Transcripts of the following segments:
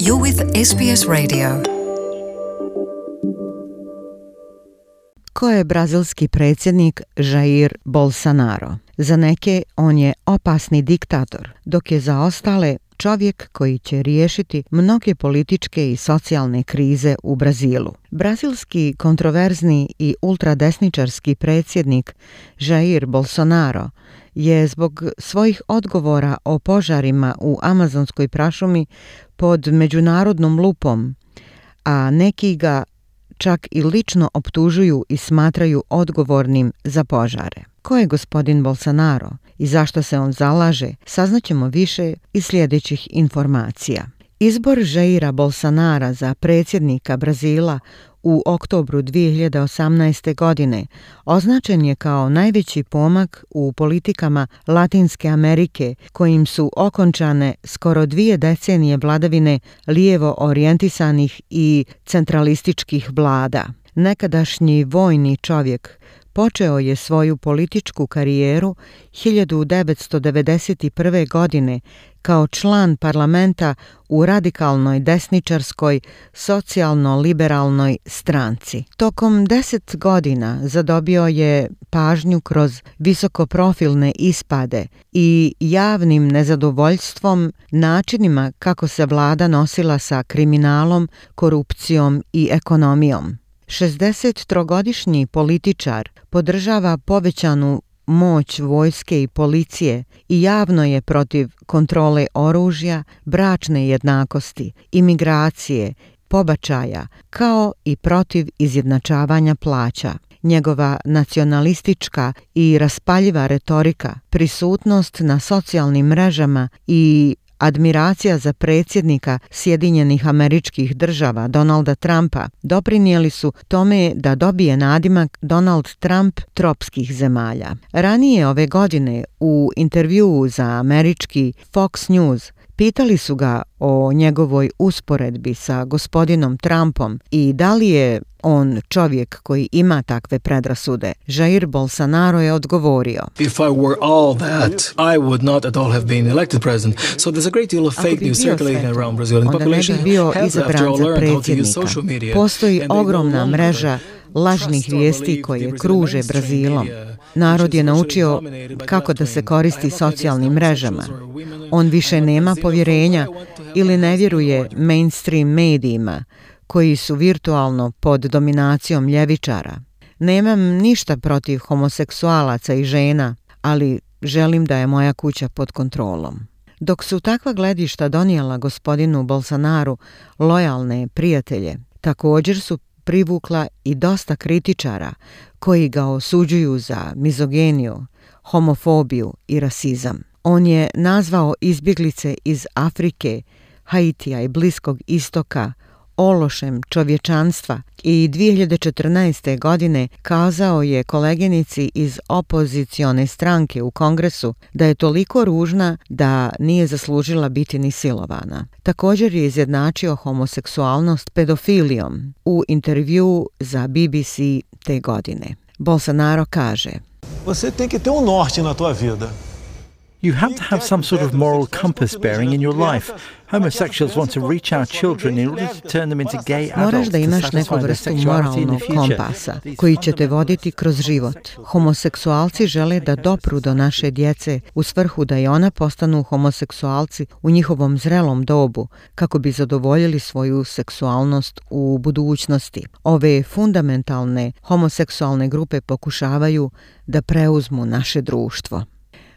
You're with SBS Radio. Ko je brazilski predsjednik Jair Bolsonaro? Za neke on je opasni diktator, dok je za ostale čovjek koji će riješiti mnoge političke i socijalne krize u Brazilu. Brazilski kontroverzni i ultradesničarski predsjednik Jair Bolsonaro je zbog svojih odgovora o požarima u amazonskoj prašumi pod međunarodnom lupom, a neki ga čak i lično optužuju i smatraju odgovornim za požare. Ko je gospodin Bolsonaro i zašto se on zalaže, saznaćemo više iz sljedećih informacija. Izbor Jaira Bolsonara za predsjednika Brazila u oktobru 2018. godine označen je kao najveći pomak u politikama Latinske Amerike, kojim su okončane skoro 2 decenije vladavine lijevo orijentisanih i centralističkih vlada. Nekadašnji vojni čovjek počeo je svoju političku karijeru 1991. godine kao član parlamenta u radikalnoj desničarskoj socijalno-liberalnoj stranci. Tokom 10 godina zadobio je pažnju kroz visokoprofilne ispade i javnim nezadovoljstvom načinima kako se vlada nosila sa kriminalom, korupcijom i ekonomijom. 63-godišnji političar podržava povećanu moć vojske i policije i javno je protiv kontrole oružja, bračne jednakosti, imigracije, pobačaja, kao i protiv izjednačavanja plaća. Njegova nacionalistička i raspaljiva retorika, prisutnost na socijalnim mrežama i admiracija za predsjednika Sjedinjenih Američkih Država Donalda Trumpa doprinijeli su tome da dobije nadimak Donald Trump tropskih zemalja. Ranije ove godine u intervjuu za američki Fox News pitali su ga o njegovoj usporedbi sa gospodinom Trumpom i da li je on čovjek koji ima takve predrasude. Jair Bolsonaro je odgovorio: If I were all that, I would not at all have been elected president. So there's a great deal of fake news circulating around Brazilian population. Onda ne bi bio izabran za predsjednika. Postoji ogromna mreža lažnih vijesti koje kruže Brazilom. Narod je naučio kako da se koristi socijalnim mrežama. On više nema povjerenja ili ne vjeruje mainstream medijima koji su virtualno pod dominacijom ljevičara. Nemam ništa protiv homoseksualaca i žena, ali želim da je moja kuća pod kontrolom. Dok su takva gledišta donijela gospodinu Bolsonaru lojalne prijatelje, također su privukla i dosta kritičara koji ga osuđuju za mizogeniju, homofobiju i rasizam. On je nazvao izbjeglice iz Afrike, Haitija i Bliskog istoka ološem čovječanstva i 2014. godine kazao je koleginici iz opozicione stranke u Kongresu da je toliko ružna da nije zaslužila biti ni silovana. Također je izjednačio homoseksualnost pedofilijom u intervjuu za BBC te godine. Bolsonaro kaže: Você tem que ter norte na tua vida. You have to have some sort of moral compass bearing in your life. Homosexuals want to reach our children in order to turn them into gay adults. Moraš da imaš neku vrstu moralnog kompasa koji će te voditi kroz život. Homoseksualci žele da dopru do naše djece u svrhu da i ona postanu homoseksualci u njihovom zrelom dobu kako bi zadovoljili svoju seksualnost u budućnosti. Ove fundamentalne homoseksualne grupe pokušavaju da preuzmu naše društvo.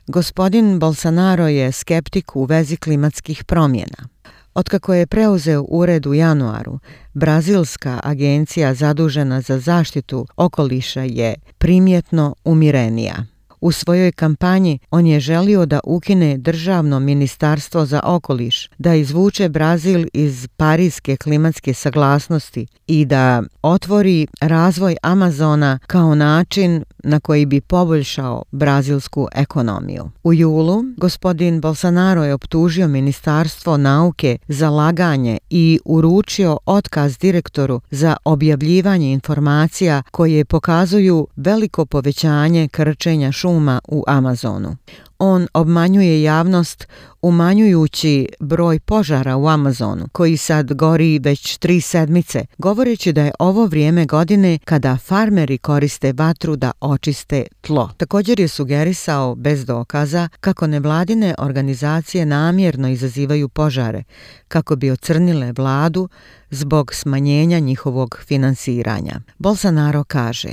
Gospodin Bolsonaro je skeptik u vezi klimatskih promjena. Otkako je preuzeo ured u januaru, Brazilska agencija zadužena za zaštitu okoliša je primjetno umirenija. U svojoj kampanji on je želio da ukine državno ministarstvo za okoliš, da izvuče Brazil iz Pariske klimatske saglasnosti i da otvori razvoj Amazona kao način na koji bi poboljšao brazilsku ekonomiju. U julu gospodin Bolsonaro je optužio Ministarstvo nauke za laganje i uručio otkaz direktoru za objavljivanje informacija koje pokazuju veliko povećanje krčenja šuma šuma u Amazonu. On obmanjuje javnost umanjujući broj požara u Amazonu, koji sad gori već 3 sedmice, govoreći da je ovo vrijeme godine kada farmeri koriste vatru da očiste tlo. Također je sugerisao, bez dokaza, kako nevladine organizacije namjerno izazivaju požare, kako bi ocrnile vladu zbog smanjenja njihovog finansiranja. Bolsonaro kaže: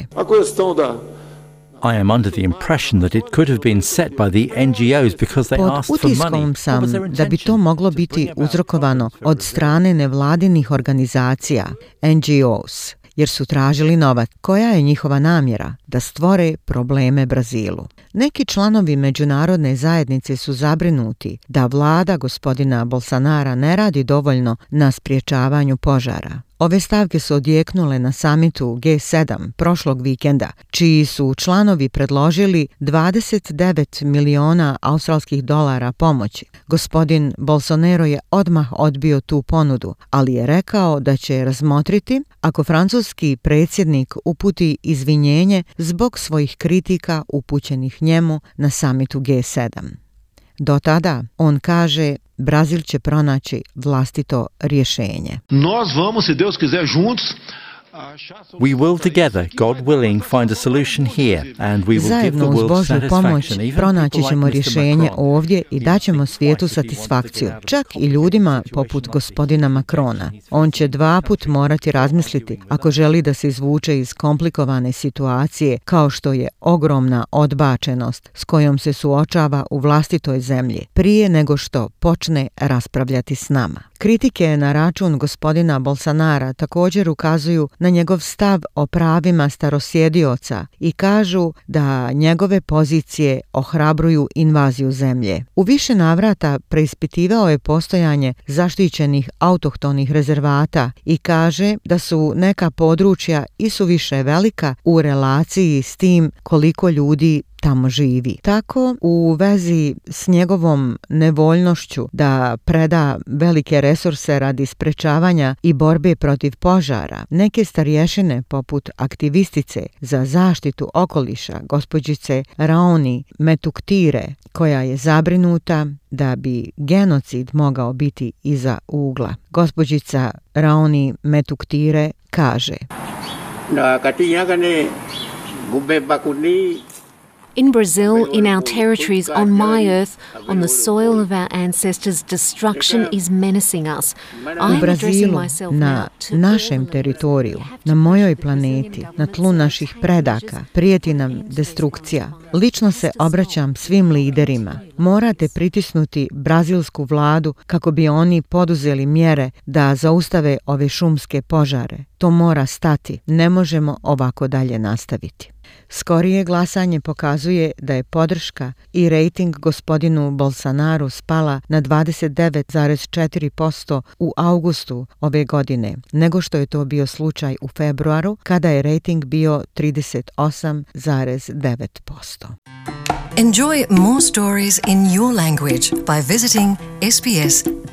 I am under the impression that it could have been set by the NGOs because they Pod asked for money. utiskom sam What was their da bi to intention? moglo To biti bring about uzrokovano violence or od strane nevladinih organizacija, NGOs, jer su tražili novac. Koja je njihova namjera? Da stvore probleme Brazilu. Neki članovi međunarodne zajednice su zabrinuti da vlada gospodina Bolsonara ne radi dovoljno na sprječavanju požara. Ove stavke su odjeknule na samitu G7 prošlog vikenda, čiji su članovi predložili 29 miliona australskih dolara pomoći. Gospodin Bolsonaro je odmah odbio tu ponudu, ali je rekao da će razmotriti ako francuski predsjednik uputi izvinjenje zbog svojih kritika upućenih njemu na samitu G7. Do tada, on kaže, Brazil će pronaći vlastito rješenje. Nós vamos, se Deus quiser, juntos. We will together, God willing, find a solution here, and we will give the Zajedno uz world Božju pomoć satisfaction. Even pronaći people ćemo like Mr. rješenje Macron. ovdje i daćemo svijetu satisfakciju, čak i ljudima poput gospodina Macrona. On će 2 put morati razmisliti ako želi da se izvuče iz komplikovane situacije kao što je ogromna odbačenost s kojom se suočava u vlastitoj zemlji, prije nego što počne raspravljati s nama. Kritike na račun gospodina Bolsonara također ukazuju na njegov stav o pravima starosjedioca i kažu da njegove pozicije ohrabruju invaziju zemlje. U više navrata preispitivao je postojanje zaštićenih autohtonih rezervata i kaže da su neka područja isuviše velika u relaciji s tim koliko ljudi tamo živi. Tako, u vezi s njegovom nevoljnošću da preda velike resurse radi sprečavanja i borbe protiv požara, neke starješine poput aktivistice za zaštitu okoliša, gospođice Raoni Metuktire, koja je zabrinuta da bi genocid mogao biti iza ugla. Gospođica Raoni Metuktire kaže: In Brazil, in our territories, on my earth, on the soil of our ancestors, destruction is menacing us. U Brazilu, na našem teritoriju, na mojoj planeti, na tlu naših predaka, prijeti nam destrukcija. Lično se obraćam svim liderima. Morate pritisnuti brazilsku vladu kako bi oni poduzeli mjere da zaustave ove šumske požare. To mora stati. Ne možemo ovako dalje nastaviti. Skorije glasanje pokazuje da je podrška i rejting gospodinu Bolsonaru spala na 29,4% u augustu ove godine, nego što je to bio slučaj u februaru, kada je rejting bio 38,9%. Enjoy more stories in your language by visiting sbs.com.au.